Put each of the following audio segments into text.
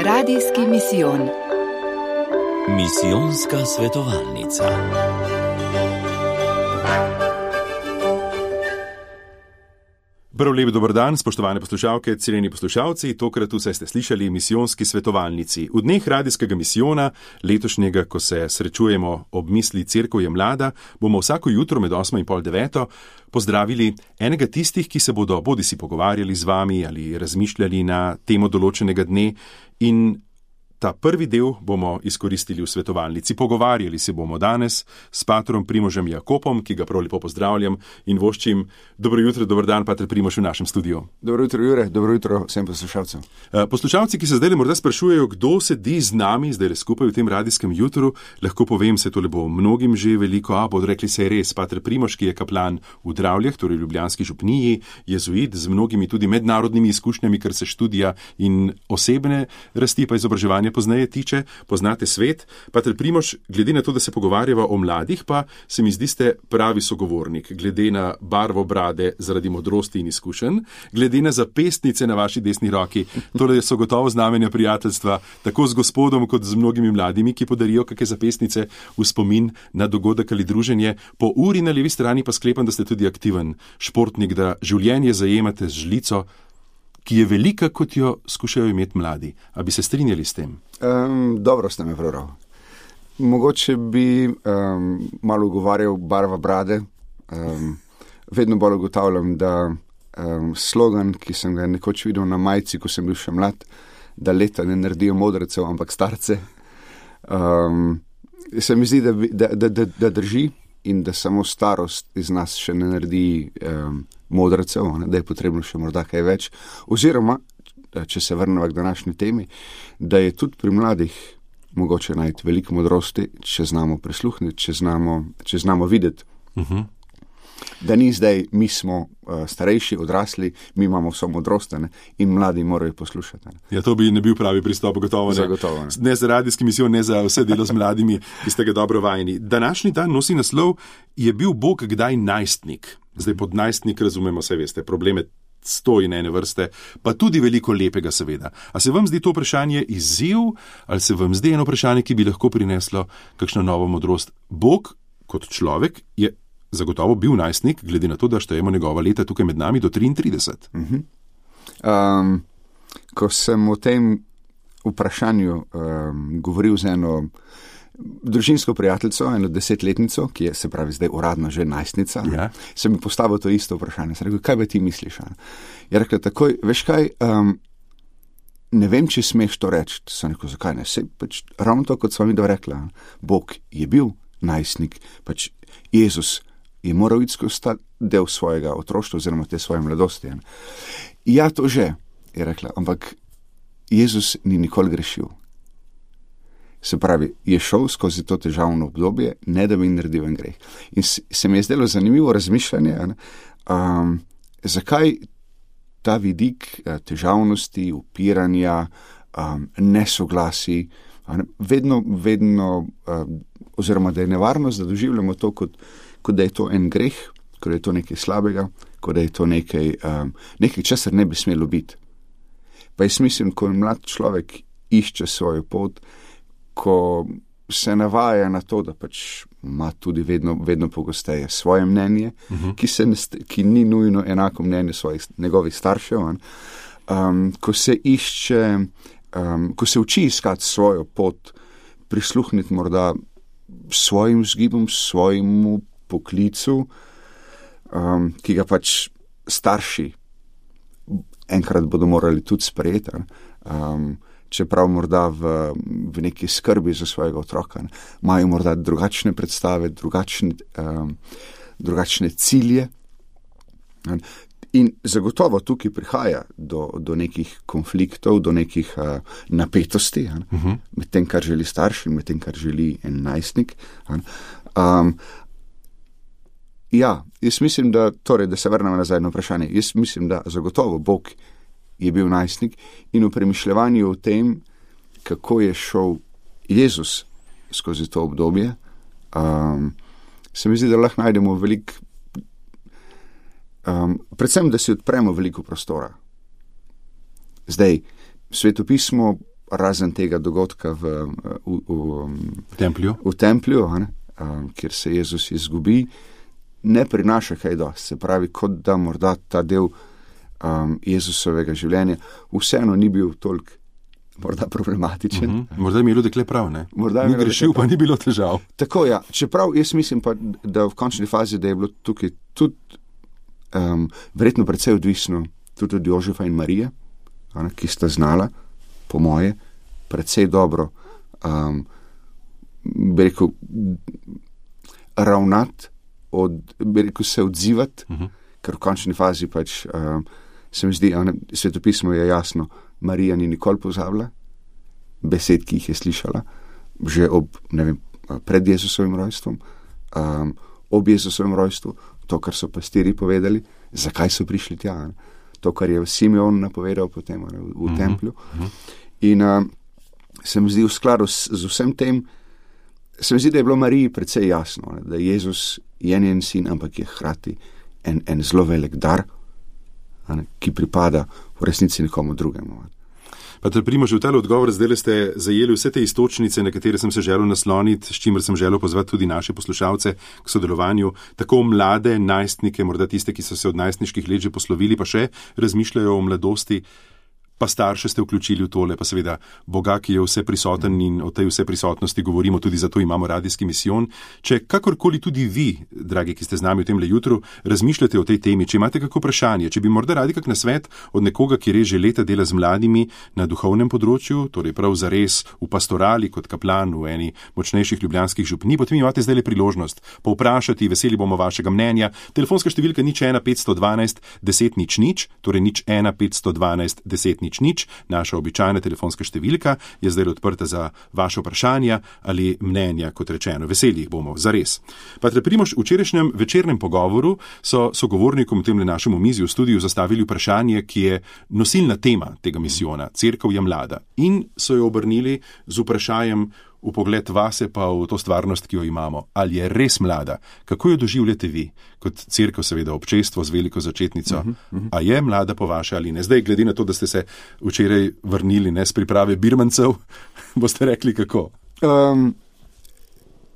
Radijski misijon. Misijonska svetovalnica. Prav lep dober dan, spoštovane poslušalke, cenjeni poslušalci, tokrat vse ste slišali misijonski svetovalnici. V dneh radijskega misijona, letošnjega, ko se srečujemo ob misli Cerkev je mlada, bomo vsako jutro med 8 in pol 9 pozdravili enega tistih, ki se bodo bodisi pogovarjali z vami ali razmišljali na temo določenega dne, in ta prvi del bomo izkoristili v svetovalnici. Pogovarjali se bomo danes s patrom Primožem Jakopom, ki ga prav lepo pozdravljam in voščim. Dobro jutro, dober dan, pater Primož v našem studiu. Dobro jutro, Jure, dobro jutro vsem poslušalcem. Poslušalci, ki se zdaj morda sprašujejo, kdo sedi z nami zdaj skupaj v tem radijskem jutru, lahko povem, se tole bo mnogim že veliko, bodo rekli se je res, pater Primož, ki je kaplan v Dravljah, torej ljubljanski župniji, jezuit z mnogimi tudi mednarodnimi izkušnjami, kar se študija in osebne rasti pa izobraževanja poznaje tiče, poznate svet. Pater Primož, glede na to, da se pogovarjava o mladih, pa se mi zdi ste pravi sogovornik, glede na barvo brade zaradi modrosti in izkušenj, glede na zapestnice na vaši desni roki. Tole so gotovo znamenja prijateljstva, tako z gospodom, kot z mnogimi mladimi, ki podarijo kakšne zapestnice v spomin na dogodek ali druženje. Po uri na levi strani pa sklepam, da ste tudi aktiven športnik, da življenje zajemate z žlico, ki je velika, kot jo skušajo imeti mladi. A bi se strinjali s tem? Dobro ste me prebral. Mogoče bi malo ugovarjal barva brade. Vedno bolj ugotavljam, da slogan, ki sem ga nekoč videl na majici, ko sem bil še mlad, da leta ne naredijo modrecev, ampak starce, se mi zdi, da drži in da samo starost iz nas še ne naredi modrecev, da je potrebno še morda kaj več. Oziroma, če se vrnemo k današnji temi, da je tudi pri mladih mogoče najti veliko modrosti, če znamo prisluhniti, če znamo videti. Da ni zdaj, mi smo starejši, odrasli, mi imamo vso modrost in mladi morajo poslušati. Ja, to bi ne bil pravi pristop, gotovo ne. Zagotovo ne. Ne za radijski misijon, ne za vse delo z mladimi, ki ste ga dobro vajeni. Današnji dan nosi naslov: Je bil Bog kdaj najstnik? Zdaj pod najstnik razumemo, saj veste, probleme 100 in ene vrste, pa tudi veliko lepega seveda. A se vam zdi to vprašanje izziv, ali se vam zdi eno vprašanje, ki bi lahko prineslo kakšno novo modrost? Bog kot človek je zagotovo bil najstnik, glede na to, da štejemo njegova leta tukaj med nami do 33. Ko sem o tem vprašanju govoril z eno družinsko prijateljico, eno 10-letnico, ki je, se pravi, zdaj uradno že najstnica, sem mi postavil to isto vprašanje. Sem rekel, kaj bi ti misliš? Je rekla takoj, veš kaj, ne vem, či smeš to reči. Sem rekel, zakaj ne? Pač, ravno to, kot sva mi rekla, Bog je bil najstnik, pač Jezus je moral iti skozi del svojega otroštva oziroma te svoje mladosti. Ja, to že, je rekla, ampak Jezus ni nikoli grešil. Se pravi, je šel skozi to težavno obdobje, ne da bi naredil en greh. In se mi je zdelo zanimivo razmišljanje, zakaj ta vidik težavnosti, upiranja, nesoglasi, vedno, oziroma da je nevarnost, da doživljamo to, kot da je to en greh, kot da je to nekaj slabega, kot da je to nekaj, česar ne bi smelo biti. Pa jaz mislim, ko mlad človek išče svojo pot, ko se navaja na to, da pač ima tudi vedno pogosteje svoje mnenje, ki ni nujno enako mnenje njegovih staršev, ko se išče, ko se uči iskati svojo pot, prisluhniti morda svojim vzgibom, svojemu poklicu, ki ga pač starši enkrat bodo morali tudi sprejeti, čeprav morda v neki skrbi za svojega otroka imajo morda drugačne predstave, drugačne cilje. In zagotovo tukaj prihaja do nekih konfliktov, do nekih napetosti med tem, kar želi starš in med tem, kar želi en najstnik. Ja, jaz mislim, da se vrnemo nazaj na vprašanje. Jaz mislim, da zagotovo Bog je bil najstnik in v premišljevanju o tem, kako je šel Jezus skozi to obdobje, se mi zdi, da lahko najdemo veliko, predvsem, da si odpremo veliko prostora. Zdaj, svetopismo razen tega dogodka v templju, kjer se Jezus izgubi, ne prinaša kaj dosti. Se pravi, kot da morda ta del Jezusovega življenja vseeno ni bil toliko morda problematičen. Morda je imelo dekle prav, ne? Ni grešil, pa ni bilo težav. Tako, ja. Čeprav jaz mislim pa, da v končni fazi, da je bilo tukaj tudi verjetno precej odvisno tudi od Jožefa in Marije, ki sta znala, po moje, precej dobro bi rekel, ravnati, bi rekel, se odzivati, ker v končni fazi pač se mi zdi, svetopismo je jasno, Marija ni nikoli pozabila besed, ki jih je slišala, že pred Jezusovim rojstvom, ob Jezusovem rojstvu, to, kar so pastirji povedali, zakaj so prišli tja, to, kar je Simeon napovedal potem v templju. In se mi zdi v skladu z vsem tem, se mi zdi, da je bilo Mariji precej jasno, da Jezus je njen sin, ampak je hkrati en zelo velik dar, ki pripada v resnici nekomu drugemu. Pater Primož, v tale odgovor zdaj ste zajeli vse te istočnice, na katere sem se želel nasloniti, s čimer sem želel pozvati tudi naše poslušalce k sodelovanju, tako mlade najstnike, morda tiste, ki so se od najstniških let že poslovili, pa še razmišljajo o mladosti, pa starše ste vključili v tole, pa seveda Boga, ki je vse prisoten in o tej vse prisotnosti govorimo, tudi zato imamo radijski misijon. Če kakorkoli tudi vi, dragi, ki ste z nami v temle jutru, razmišljate o tej temi, če imate kako vprašanje, če bi morda radi kak nasvet od nekoga, ki res že leta dela z mladimi na duhovnem področju, torej prav zares v pastorali kot kaplan v eni močnejših ljubljanskih župnij, potem imate zdaj le priložnost povprašati, veseli bomo vašega mnenja. Telefonska številka 01 512 10 00, torej 01 512 10 00, naša običajna telefonska številka je zdaj odprta za vaše vprašanja ali mnenja, kot rečeno. Veseli jih bomo, zares. Pater Primož, v včerajšnjem večernem pogovoru so sogovornikom v temle našem omizju v studiu zastavili vprašanje, ki je nosilna tema tega misijona, Cerkev je mlada. In so jo obrnili z vprašanjem v pogled vase pa v to stvarnost, ki jo imamo. Ali je res mlada? Kako jo doživljate vi? Kot cerkev, seveda občestvo z veliko začetnico. A je mlada po vaše ali ne? Zdaj, glede na to, da ste se včeraj vrnili s priprave birmancev, boste rekli kako?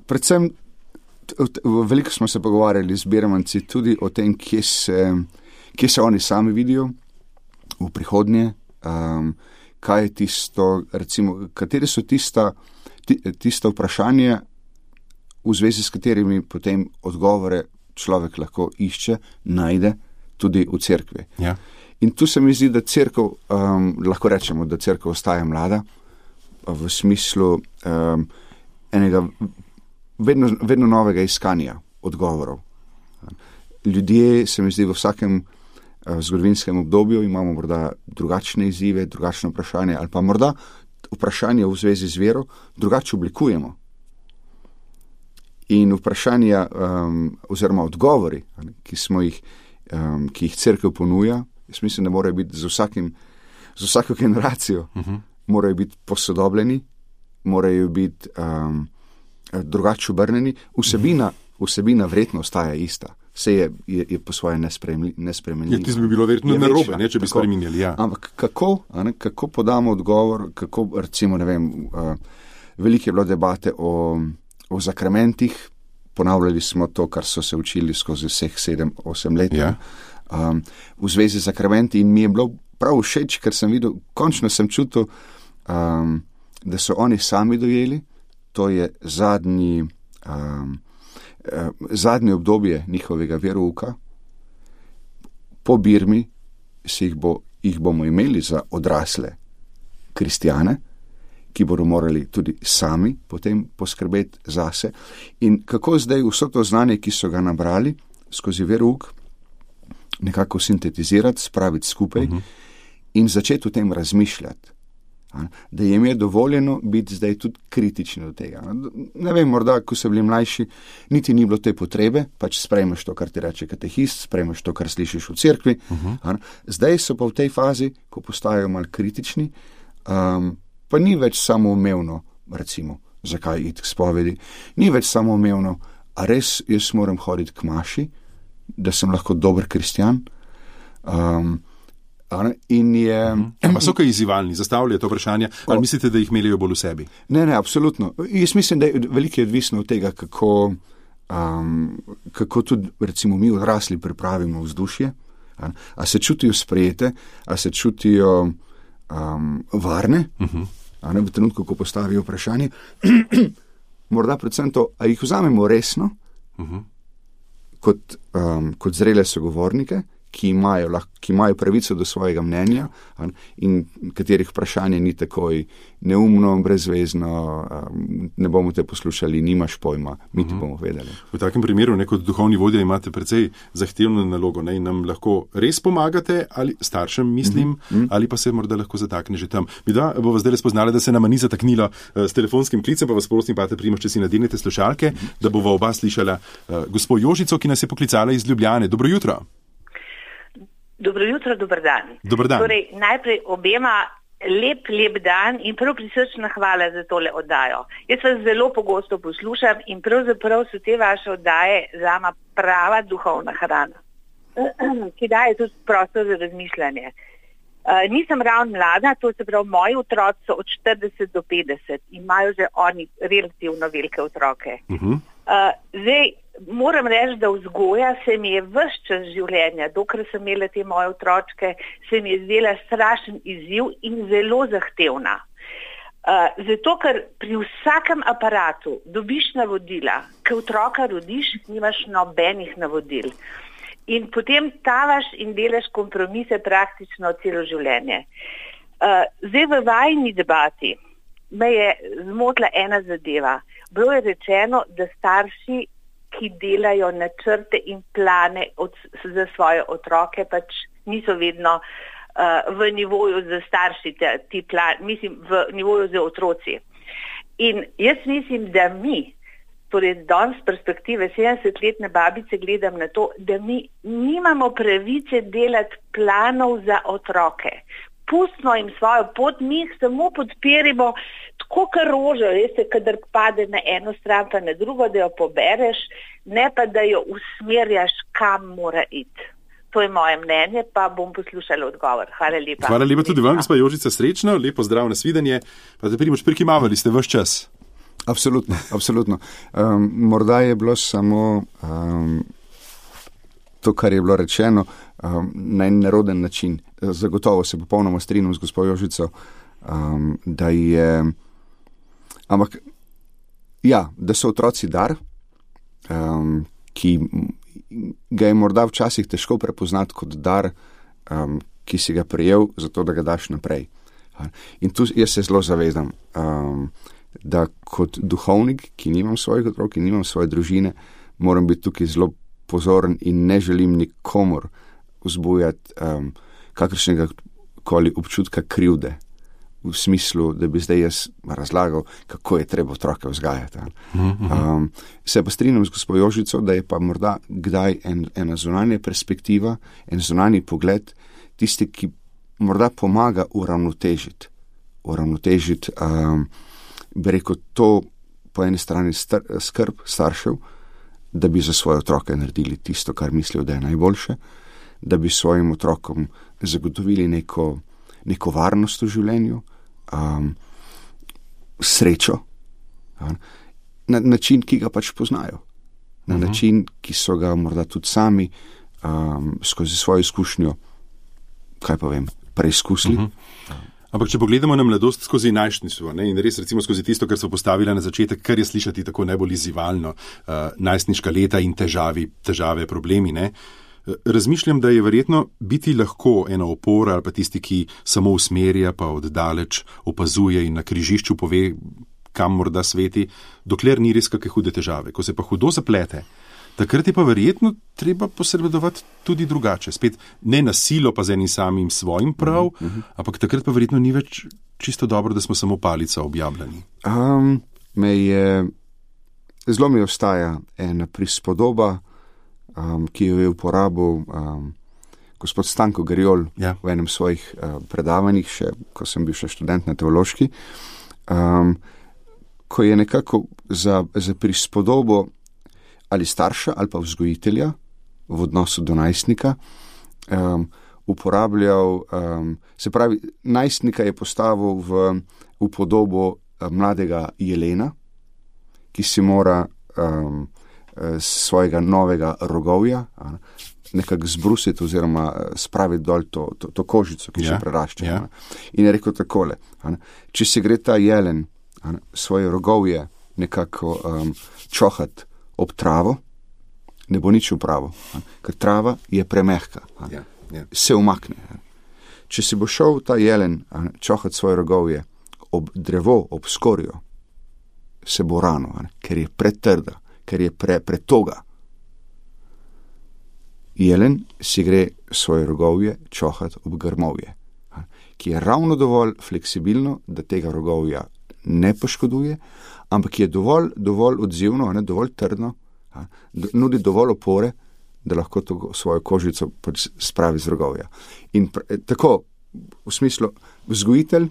Predvsem, veliko smo se pogovarjali z birmanci tudi o tem, kje se oni sami vidijo v prihodnje, kaj je tisto, recimo, kateri so tisto vprašanje, v zvezi s katerimi potem odgovore človek lahko išče, najde tudi v cerkvi. Ja. In tu se mi zdi, da cerkev, lahko rečemo, da cerkev ostaja mlada, v smislu enega vedno novega iskanja odgovorov. Ljudje, se mi zdi, v vsakem zgodovinskem obdobju imamo morda drugačne izzive, drugačne vprašanje ali pa morda vprašanje v zvezi z vero drugače oblikujemo. In vprašanja oziroma odgovori, ki jih cerkev ponuja, jaz mislim, da morajo biti z vsako generacijo morajo biti posodobljeni, morajo biti drugače obrnjeni. Vsebina verjetno ostaja ista. Vse je po svoje nespremenljivo. Tisto bi bilo verjetno narobe, če bi spreminjali. Ja. Ampak kako podamo odgovor, kako, recimo, ne vem, veliko je bilo debate o zakramentih, ponavljali smo to, kar so se učili skozi vseh 7-8 let. Ja. V zvezi z zakramenti in mi je bilo prav všeč, ker sem videl, končno sem čutil, da so oni sami dojeli, to je zadnje obdobje njihovega verouka. Po Birmi jih bomo imeli za odrasle kristjane, ki bodo morali tudi sami potem poskrbeti zase. In kako zdaj vso to znanje, ki so ga nabrali skozi verouk, nekako sintetizirati, spraviti skupaj in začeti o tem razmišljati. Da jim je dovoljeno biti zdaj tudi kritični do tega. Ne vem, morda, ko so bili mlajši, niti ni bilo te potrebe, pač sprejmeš to, kar ti reče katehist, sprejmeš to, kar slišiš v cerkvi. Zdaj so pa v tej fazi, ko postajajo malo kritični, pa ni več samoumevno, recimo, zakaj iti k spovedi, ni več samoumevno, a res jaz moram hoditi k maši, da sem lahko dober kristjan, In je. Pa so kaj izzivalni, zastavljajo to vprašanje, ali mislite, da jih melijo bolj v sebi? Ne, absolutno. Jaz mislim, da je veliko odvisno od tega, kako tudi, recimo, mi odrasli pripravimo vzdušje. A se čutijo sprejete, a se čutijo varne, v trenutku, ko postavijo vprašanje. Morda predvsem to, a jih vzamemo resno, kot zrele sogovornike, ki imajo pravico do svojega mnenja in katerih vprašanje ni takoj neumno, brezvezno, ne bomo te poslušali, nimaš pojma, mi ti bomo vedeli. V takem primeru, kot duhovni vodja, imate precej zahtevno nalogo, in nam lahko res pomagate, ali staršem mislim, ali pa se morda lahko zatakne že tam. Mi da bova zdaj spoznala, da se nama ni zataknilo s telefonskim klicem, pa vas prosim, Pater Primož, če si nadenete slušalke, da bova oba slišala gospo Jožico, ki nas je poklicala iz Ljubljane. Dobro jutro. Dobro jutro, dober dan. Dober dan. Torej, najprej obema lep dan in prav prisrčna hvala za tole oddajo. Jaz vas zelo pogosto poslušam in pravzaprav so te vaše oddaje zame prava duhovna hrana, ki daje tudi prostor za razmišljanje. Nisem ravno mlada, to se pravi, moji otroci so od 40 do 50 in imajo že oni relativno velike otroke. Zdaj, moram reči, da vzgoja se mi je ves čas življenja, dokler sem imela te moje otročke, se mi je zdela strašen izziv in zelo zahtevna. Zato, ker pri vsakem aparatu dobiš navodila, ko otroka rodiš, nimaš nobenih navodil. In potem tavaš in delaš kompromise praktično celo življenje. Zdaj v vajni debati me je zmotila ena zadeva. Bilo je rečeno, da starši, ki delajo načrte in plane za svoje otroke, pač niso vedno v nivoju za starši, v nivoju za otroci. In jaz mislim, da mi, torej danes z perspektive 70-letne babice gledam na to, da mi nimamo pravice delati planov za otroke. Pustimo jim svojo pot, mi jih samo podpirimo, tako kot rožo, veste, kadar pade na eno stran pa na drugo, da jo pobereš, ne pa da jo usmerjaš, kam mora iti. To je moje mnenje, pa bom poslušala odgovor. Hvala lepa. Hvala lepa tudi vam, gospa Jožica, srečno, lepo zdrav, nasvidenje. Pater Primož, prikimavali ste ves čas. Absolutno. Morda je bilo samo to, kar je bilo rečeno, na en neroden način. Zagotovo se popolnoma strinjam z gospo Jožico, da je, ampak ja, da so otroci dar, ki ga je morda včasih težko prepoznati kot dar, ki si ga prejel, zato da ga daš naprej. In tu jaz se zelo zavedam, da kot duhovnik, ki nimam svojih otrok, ki nimam svoje družine, moram biti tukaj zelo pozoren in ne želim nikomor vzbujati kakršnega koli občutka krivde, v smislu, da bi zdaj jaz razlagal, kako je treba otroke vzgajati. Se pa strinjam z gospo Jožico, da je pa morda kdaj ena zunanja perspektiva, en zunanji pogled, tisti, ki morda pomaga uravnotežiti, bi rekel, to po eni strani skrb staršev, da bi za svoje otroke naredili tisto, kar mislijo, da je najboljše, da bi svojim otrokom zagotovili neko varnost v življenju, srečo, na način, ki ga pač poznajo, na način, ki so ga morda tudi sami skozi svojo izkušnjo, kaj pa vem, preizkusili. Ampak če pogledamo na mladost skozi najstništvo, in res recimo skozi tisto, kar so postavila na začetek, kar je slišati tako najbolj izzivalno, najstniška leta in težave, problemi, razmišljam, da je verjetno biti lahko ena opora ali pa tisti, ki samo usmerja, pa oddaleč opazuje in na križišču pove, kam morda sveti, dokler ni res kakšne hude težave. Ko se pa hudo zaplete, takrat je pa verjetno treba posredovati tudi drugače. Spet ne na silo, pa z enim samim svojim prav, ampak takrat pa verjetno ni več čisto dobro, da smo samo palica objavljeni. Zelo mi ostaja ena prispodoba, ki jo je uporabil gospod Stanko Gariol v enem svojih predavanjih, ko sem bil še študent na teološki, ko je nekako za prispodobo ali starša ali pa vzgojitelja v odnosu do najstnika uporabljal, se pravi, najstnika je postavil v podobo mladega jelena, ki si mora svojega novega rogovja nekako zbrusiti oziroma spraviti dol to kožico, ki še prerašča. In je rekel takole, če se gre ta jelen svoje rogovje nekako čohat ob travo, ne bo nič upravo, ker trava je premehka, se umakne. Če si bo šel ta jelen čohat svoje rogovje ob drevo, ob skorjo, se bo rano, ker je pretrda, ker je pretoga. Jelen si gre svoje rogovje čohat ob grmovje, ki je ravno dovolj fleksibilno, da tega rogovja ne poškoduje, ampak je dovolj odzivno, dovolj trdno, nudi dovolj opore, da lahko to svojo kožico spravi z rogovja. In tako, v smislu, vzgojitelj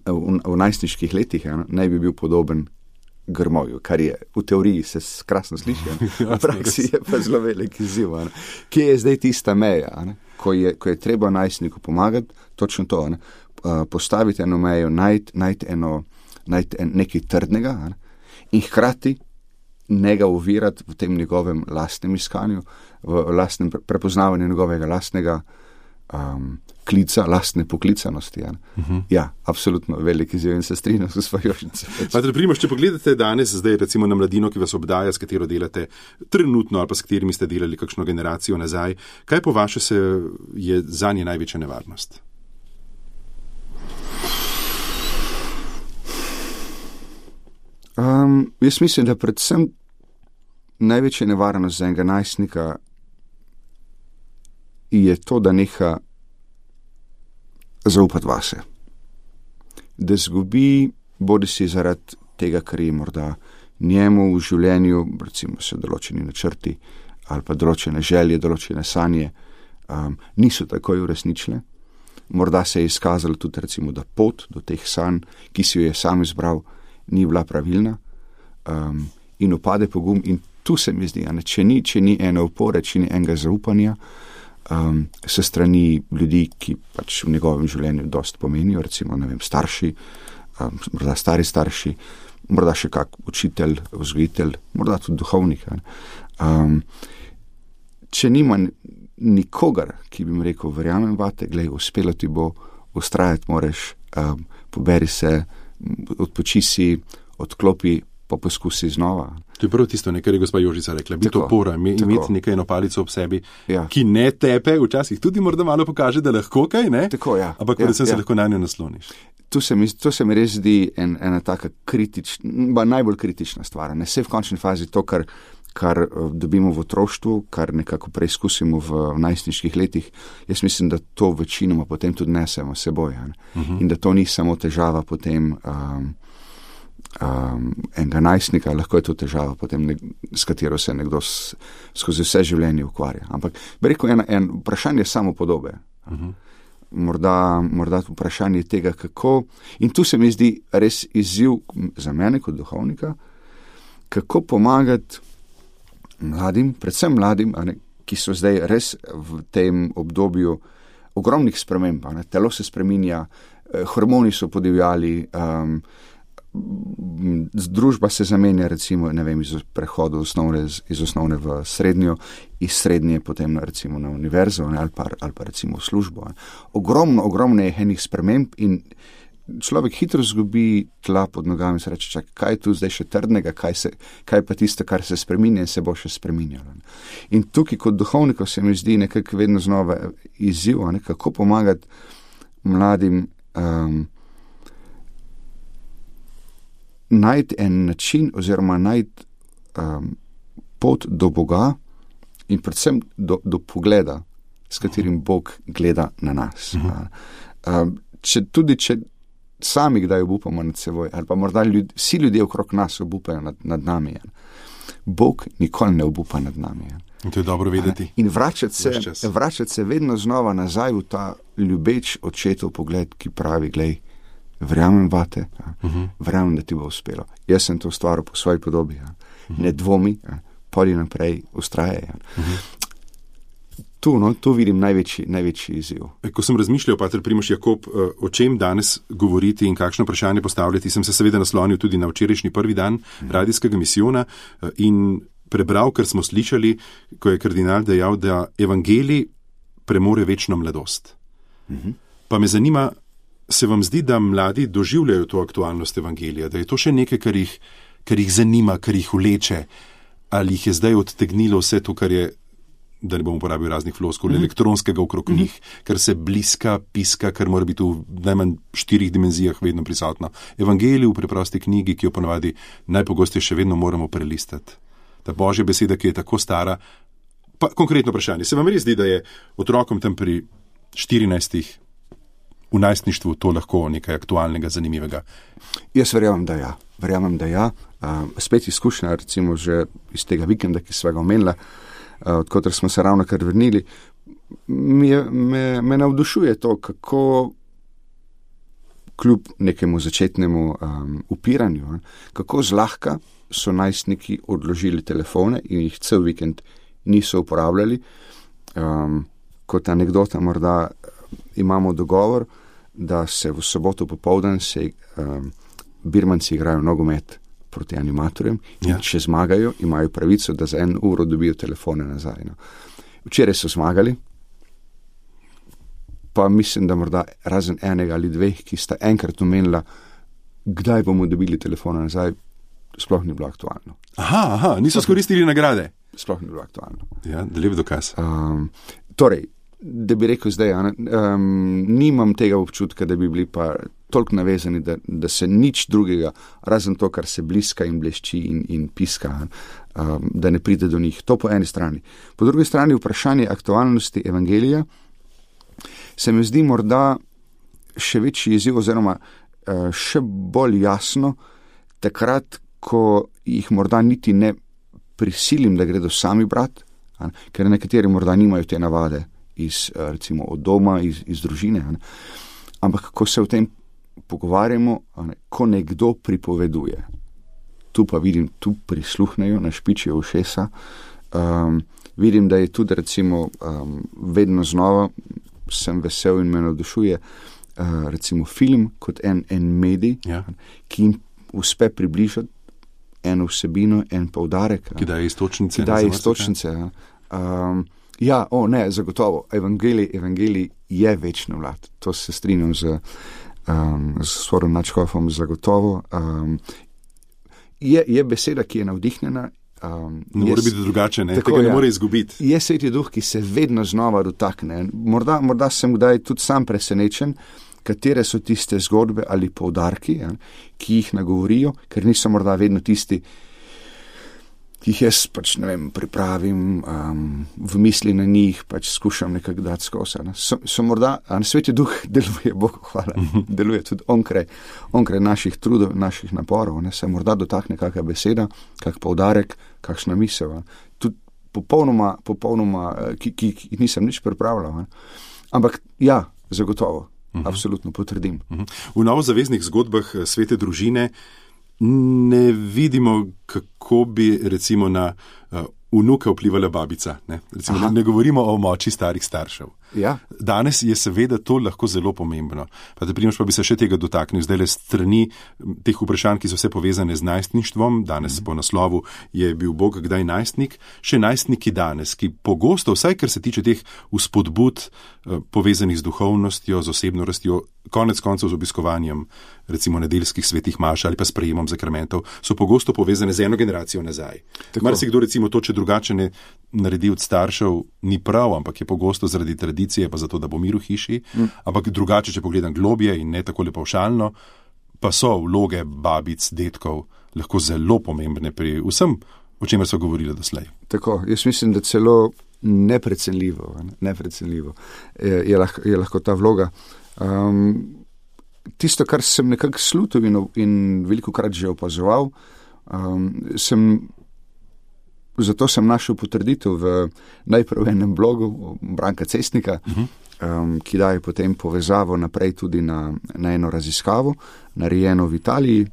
v najstniških letih naj bi bil podoben grmovju, kar je v teoriji se krasno sliši, v praksi je pa zelo velik izziv. Kje je zdaj tista meja, ko je treba najstniku pomagati, točno to, postaviti eno mejo, najti nekaj trdnega in hkrati ne ga ovirati v tem njegovem lastnem iskanju, v lastnem prepoznavanju njegovega lastnega klica, lastne poklicanosti. Ja, absolutno velik izziv in se strinjam s gospo Jožico. Pater Primož, če pogledate danes zdaj recimo na mladino, ki vas obdaja, s katero delate trenutno ali pa s katerimi ste delali kakšno generacijo nazaj, kaj po vaše je zanje največja nevarnost? Jaz mislim, da predvsem največja nevarnost za enega najstnika je to, da neha zaupati vase. Da zgubi, bodi si zaradi tega, kar je morda njemu v življenju, recimo se določeni načrti ali pa določene želje, določene sanje, niso takoj uresničile. Morda se je izkazalo tudi recimo, da pot do teh sanj, ki si jo je sam izbral, ni bila pravilna, in opade pogum. In tu se mi zdi, če ni ene opore, če ni enega zaupanja, se strani ljudi, ki pač v njegovem življenju dosti pomenijo, recimo, ne vem, starši, morda stari starši, morda še kak učitelj, vzgojitelj, morda tudi duhovnik. Če nima nikogar, ki bi mi rekel, verjamem vate, glej, uspelo ti bo, ustrajati moraš, poberi se, odpoči si, odklopi, pa poskusi znova. To je prav tisto, kar je gospa Jožica rekla, biti opora, imeti nekaj eno palico ob sebi, ki ne tepe, včasih tudi morda malo pokaže, da lahko kaj, ne? Tako, ampak predvsem se lahko na njo nasloniš. To se mi res zdi ena taka kritična, najbolj kritična stvar. Ne vse v končni fazi to, kar dobimo v otroštvu, kar nekako preizkusimo v najstniških letih, jaz mislim, da to večinoma potem tudi nesemo seboj. In da to ni samo težava potem enega najstnika, lahko je to težava potem, s katero se nekdo skozi vse življenje ukvarja. Ampak bi rekel, en vprašanje samopodobe. Morda vprašanje tega, kako, in tu se mi zdi res izziv za mene kot duhovnika, kako pomagati mladim, predvsem mladim, ki so zdaj res v tem obdobju ogromnih sprememb. Telo se spreminja, hormoni so podivjali, družba se zamenja, recimo, ne vem, iz prehoda iz osnovne v srednjo, iz srednje potem recimo na univerzo ali pa recimo v službo. Ogromno je enih sprememb in človek hitro zgubi tla pod nogami in se reče, čak, kaj je tu zdaj še trdnega, kaj pa tisto, kar se spreminja in se bo še spreminjalo. In tukaj kot duhovnikov se mi zdi nekako vedno znova izziv, kako pomagati mladim najti en način oziroma najti pot do Boga in predvsem do pogleda, s katerim Bog gleda na nas. Če sami kdaj obupamo nad seboj, ali pa morda vsi ljudje okrog nas obupajo nad nami, Bog nikoli ne obupa nad nami. In to je dobro vedeti. In vračati se vedno znova nazaj v ta ljubeč očetov pogled, ki pravi, glej, verjamem vate, verjamem, da ti bo uspelo. Jaz sem to stvaril po svoji podobi. Ne dvomi, poli naprej, ustrajaj. tu vidim največji izziv. Ko sem razmišljal, pater Primož Jakob, o čem danes govoriti in kakšno vprašanje postavljati, sem se seveda naslonil tudi na včerajšnji prvi dan radijskega misijona in prebral, kar smo slišali, ko je kardinal dejal, da evangelij premore večno mladost. Pa me zanima, se vam zdi, da mladi doživljajo to aktualnost evangelija, da je to še nekaj, kar jih zanima, kar jih vleče, ali jih je zdaj odtegnilo vse to, kar je, da ne bom uporabil raznih floskul, elektronskega okrog njih, kar se bliska, piska, kar mora biti v najmanj 4 dimenzijah vedno prisotno. Evangelij v preprosti knjigi, ki jo ponavadi najpogosteje še vedno moramo prelistati. Ta Božja beseda, ki je tako stara. Pa konkretno vprašanje, se vam res zdi, da je otrokom tam pri 14 v najstništvu to lahko nekaj aktualnega, zanimivega? Jaz verjamem, da ja. Spet izkušnja, recimo že iz tega vikenda, ki sva ga omenila, odkotr smo se ravno kar vrnili, me navdušuje to, kako kljub nekemu začetnemu upiranju, kako zlahka so najstniki odložili telefone in jih cel vikend niso uporabljali. Kot anekdota morda imamo dogovor, da se v soboto popoldan birmanci igrajo nogomet proti animatorjem in če zmagajo, imajo pravico, da za 1 uro dobijo telefone nazaj. No. Včeraj so zmagali, pa mislim, da morda razen enega ali 2, ki sta enkrat omenila, kdaj bomo dobili telefone nazaj, sploh ni bilo aktualno. Aha, niso skoristili nagrade. Sploh ni bilo aktualno. Ja, lep dokaz. Torej, da bi rekel zdaj, nimam tega občutka, da bi bili pa toliko navezani, da se nič drugega, razen to, kar se bliska in blešči in piska, da ne pride do njih. To po eni strani. Po drugi strani vprašanje aktualnosti evangelija se mi zdi morda še večji izziv oziroma še bolj jasno takrat, ko jih morda niti ne prisilim, da gredo sami brat, ker nekateri morda nimajo te navade recimo od doma, iz družine, ampak ko se o tem pogovarjamo, ko nekdo pripoveduje, tu pa vidim, tu prisluhnejo, našpičijo ušesa, vidim, da je tudi recimo vedno znova sem vesel in me navdušuje recimo film kot en medij, ki jim uspe približati eno vsebino, en poudarek. Ki daje istočnice. Zagotovo. Evangelij je večni mlad. To se strinjam z Sorom Načkofom, zagotovo. Je beseda, ki je navdihnjena. Ne more biti drugače, tega ne more izgubiti. Je Sveti Duh, ki se vedno znova dotakne. Morda sem kdaj tudi sam presenečen, katere so tiste zgodbe ali poudarki, ki jih nagovorijo, ker niso morda vedno tisti, ki jih jaz pripravim v misli na njih, skušam nekako dati skozi. So morda, Sveti Duh deluje, Bogu hvala, deluje tudi onkraj naših trudov, naših naporov, se morda dotakne kakšna beseda, kak poudarek, kakšna misel. Tudi popolnoma, ki nisem nič pripravljal. Ampak ja, zagotovo. Absolutno potrdim. V novozaveznih zgodbah svete družine ne vidimo, kako bi recimo na vnuka vplivala babica. Ne govorimo o moči starih staršev. Ja. Danes je seveda to lahko zelo pomembno. Pa bi se še tega dotaknil. Zdaj le strani teh vprašanj, ki so vse povezane z najstništvom. Danes po naslovu je bil Bog kdaj najstnik. Še najstniki danes, ki pogosto, vsaj kar se tiče teh vzpodbud povezanih z duhovnostjo, z osebno rastjo, konec koncev z obiskovanjem recimo nedeljskih svetih maš ali pa sprejemom zakramentov, so pogosto povezane z eno generacijo nazaj. Marsikdo recimo to, če drugače ne naredi od staršev, ni prav, ampak je pogosto zaradi tradicije, pa zato, da bo mir v hiši, ampak drugače, če pogledam globje in ne tako pavšalno, pa so vloge babic, detkov lahko zelo pomembne pri vsem, o čemer so govorili doslej. Tako, jaz mislim, da celo neprecenljivo je lahko ta vloga. Tisto, kar sem nekako slutil in velikokrat že opazoval, zato sem našel potrditev v najprej enem blogu Branka Cestnika, ki daje potem povezavo naprej tudi na eno raziskavo, narejeno v Italiji,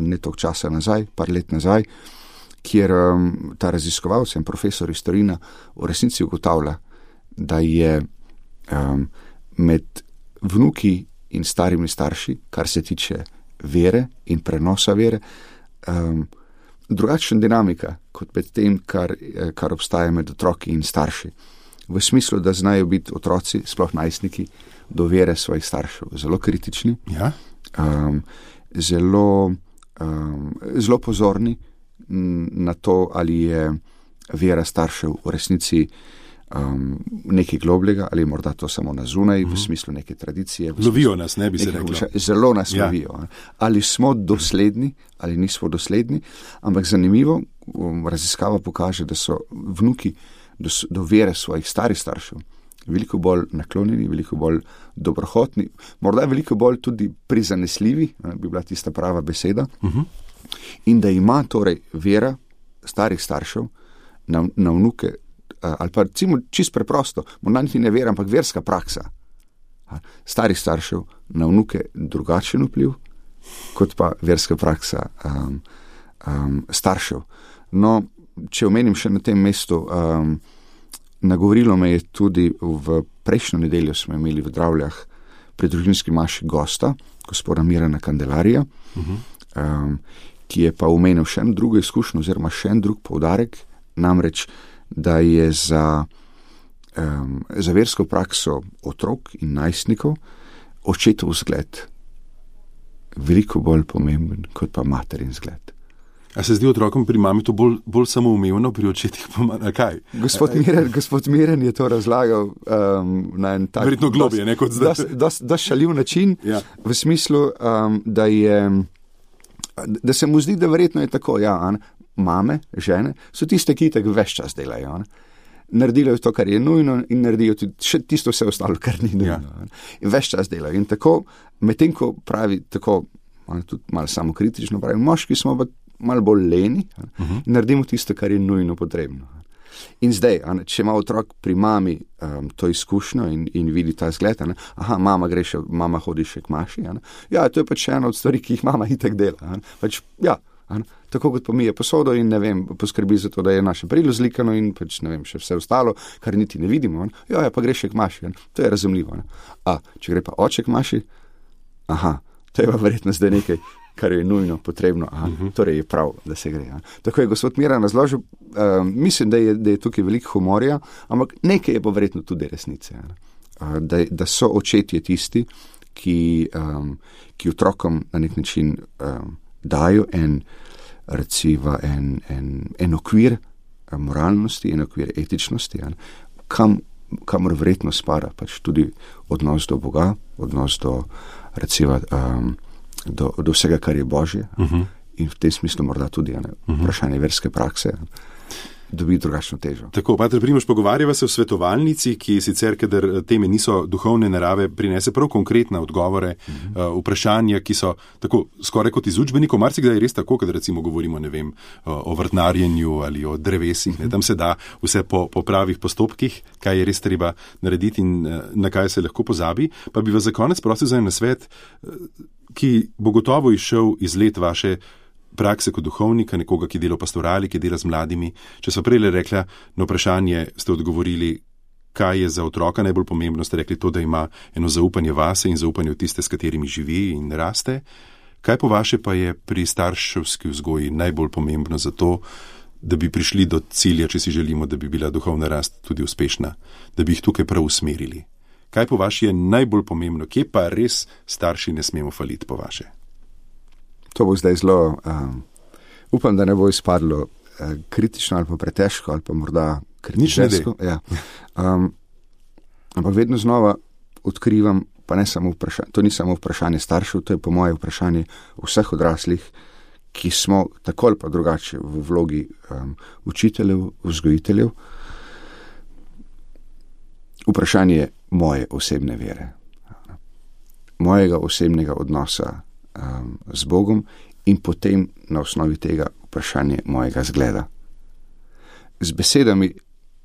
ne toliko časa nazaj, par let nazaj, kjer ta raziskovalec, profesor iz Torina, v resnici ugotavlja, da je med vnuki in starimi starši, kar se tiče vere in prenosa vere, drugačna dinamika kot med tem, kar obstaja med otroki in starši. V smislu, da znajo biti otroci, sploh najstniki, do vere svojih staršev zelo kritični, Ja? zelo pozorni na to, ali je vera staršev v resnici nekaj globljega, ali morda to samo na zunaj, v smislu neke tradicije. Lovijo nas, ne bi se reklo. Zelo nas lovijo. Ali smo dosledni, ali nismo dosledni, ampak zanimivo, raziskava pokaže, da so vnuki do vere svojih starih staršev veliko bolj naklonjeni, veliko bolj dobrohotni, morda veliko bolj tudi prizanesljivi, bi bila tista prava beseda, in da ima torej vera starih staršev na vnuke, ali pa recimo čisto preprosto, morda niti ne vera, ampak verska praksa starih staršev na vnuke drugačen vpliv, kot pa verska praksa staršev. No, če omenim še na tem mestu, nagovorilo me je tudi v prejšnjo nedeljo smo imeli v Dravljah pri družinski maši gosta, gospoda Mirana Kandelarija, ki je pa omenil še eno drugo izkušnjo oziroma še en drug poudarek, namreč, da je za versko prakso otrok in najstnikov očetov vzgled veliko bolj pomemben kot pa materin vzgled. A se zdi otrokom pri mami to bolj samoumevno, pri očetih pa kaj? Gospod Miran je to razlagal na en tak... Verjetno globje, ne kot zdaj. Da šaljiv način, v smislu, da se mu zdi, da verjetno je tako, mame, žene, so tiste, ki tako ves čas delajo. Naredijo to, kar je nujno in naredijo tudi še tisto vse ostalo, kar ni nujno. In ves čas delajo. In tako, medtem ko pravi tako, tudi malo samokritično pravi, moški smo pa malo bolj leni in naredimo tisto, kar je nujno potrebno. In zdaj, če ima otrok pri mami to izkušnjo in vidi ta zgled, mama hodi še k maši, to je pač ena od stvari, ki jih mama itak dela. Tako kot pomije posodo in poskrbi za to, da je naše perilo zlikano in pač še vse ostalo, kar niti ne vidimo. Pa gre še k maši, to je razumljivo. Če gre pa oče k maši, to je pa verjetno zdaj nekaj, kar je nujno potrebno, torej je prav, da se gre. Tako je gospod Miran razložil, mislim, da je tukaj veliko humorja, ampak nekaj je pa verjetno tudi resnice. Da so očetje tisti, ki otrokom na nek način dajo en okvir moralnosti, en okvir etičnosti, kamor verjetno spada pač tudi odnos do Boga, odnos do do vsega, kar je Božje, in v tem smislu morda tudi vprašanje verske prakse dobi drugačno težo. Tako, pater Primož, pogovarjava se o svetovalnici, ki sicer, kadar teme niso duhovne narave, prinese prav konkretne odgovore, vprašanja, ki so tako skoraj kot iz učbenikov, marsikdaj je res tako, kad recimo govorimo, o vrtnarjenju ali o drevesih, tam se da vse po pravih postopkih, kaj je res treba narediti in na kaj se lahko pozabi. Pa bi vas za konec prosil za en nasvet, ki bo gotovo izšel iz let vaše prakse kot duhovnika, nekoga, ki dela v pastorali, ki dela z mladimi. Če so prej rekla, na vprašanje ste odgovorili, kaj je za otroka najbolj pomembno, ste rekli to, da ima eno zaupanje vase in zaupanje v tiste, s katerimi živi in raste. Kaj po vaše pa je pri starševski vzgoji najbolj pomembno za to, da bi prišli do cilja, če si želimo, da bi bila duhovna rast tudi uspešna, da bi jih tukaj prav usmerili? Kaj po vaše je najbolj pomembno? Kje pa res starši ne smemo faliti po vaše? To bo zdaj zelo, upam, da ne bo izpadlo kritično ali pa pretežko ali pa morda kritično. Ampak vedno znova odkrivam, pa ne samo vprašanje, to ni samo vprašanje staršev, to je po moje vprašanje vseh odraslih, ki smo tako ali pa drugače v vlogi učiteljev, vzgojiteljev. Vprašanje moje osebne vere, mojega osebnega odnosa z Bogom in potem na osnovi tega vprašanje mojega zgleda. Z besedami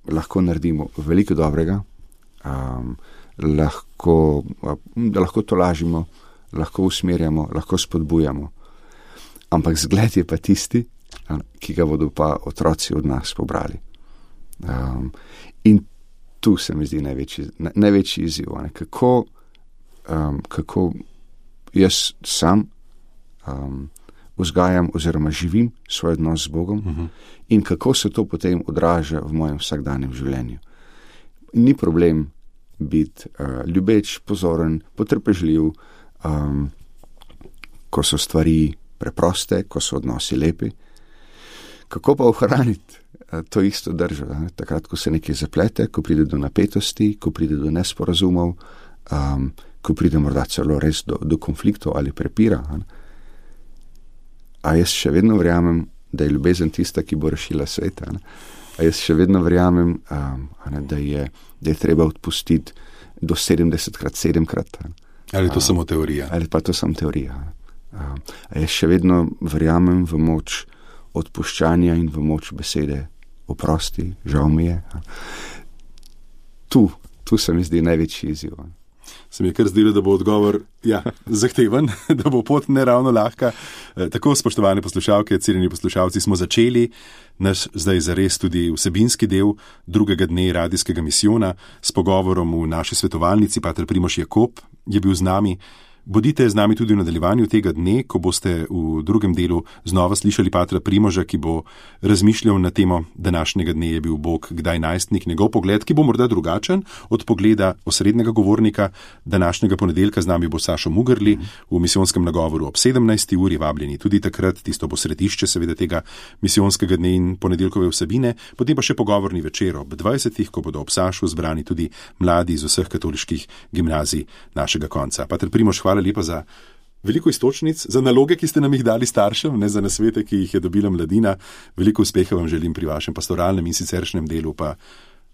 lahko naredimo veliko dobrega, da lahko tolažimo, lahko usmerjamo, lahko spodbujamo, ampak zgled je pa tisti, ki ga bodo pa otroci od nas pobrali. In tu se mi zdi največji izziv, kako jaz sam vzgajam oziroma živim svoj odnos z Bogom in kako se to potem odraža v mojem vsakdanjem življenju. Ni problem biti ljubeč, pozoren, potrpežljiv, ko so stvari preproste, ko so odnosi lepi. Kako pa ohraniti to isto držo, takrat, ko se nekaj zaplete, ko pride do napetosti, ko pride do nesporazumov, ko pride morda celo res do konfliktov ali prepira. A jaz še vedno verjamem, da je ljubezen tista, ki bo rešila sveta. A jaz še vedno verjamem, da je treba odpustiti do 70krat, 7krat. Ali je to samo teorija? Ali pa to samo teorija. A jaz še vedno verjamem v moč odpuščanja in v moč besede oprosti, žal mi je. Tu se mi zdi največji izziv. Se mi je kar zdelo, da bo odgovor zahteven, da bo pot ne ravno lahka. Tako, spoštovane poslušalke, cenjeni poslušalci, smo začeli naš zdaj zares tudi vsebinski del drugega dne radijskega misijona s pogovorom v naši svetovalnici. Pater Primož Jakob je bil z nami. Bodite z nami tudi v nadaljevanju tega dne, ko boste v drugem delu znova slišali patra Primoža, ki bo razmišljal na temo današnjega dne je bil Bog kdaj najstnik, njegov pogled, ki bo morda drugačen od pogleda osrednjega govornika. Današnjega ponedeljka z nami bo Sašo Mugrli v misijonskem nagovoru ob 17. uri, vabljeni tudi takrat, tisto bo središče seveda tega misijonskega dne in ponedeljkove vsebine, potem pa še pogovorni večer ob 20. ko bodo ob Sašu zbrani tudi mladi iz vseh katoliških gimnazij našega konca. Pater Primož, hvala lepa za veliko iztočnic, za naloge, ki ste nam jih dali staršem, ne za nasvete, ki jih je dobila mladina. Veliko uspeha vam želim pri vašem pastoralnem in siceršnjem delu, pa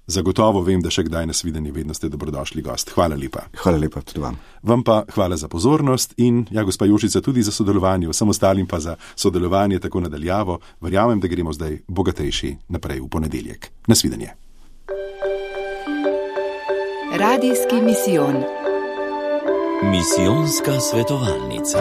zagotovo vem, da še kdaj nas videnje, vedno ste dobrodošli gost. Hvala lepa. Hvala lepa tudi vam. Vam pa hvala za pozornost in gospa Jožica, tudi za sodelovanje, vsem ostalim pa za sodelovanje tako nadaljavo. Verjamem, da gremo zdaj bogatejši naprej v ponedeljek. Nasvidenje. Radijski misijon. Misijonska svetovalnica.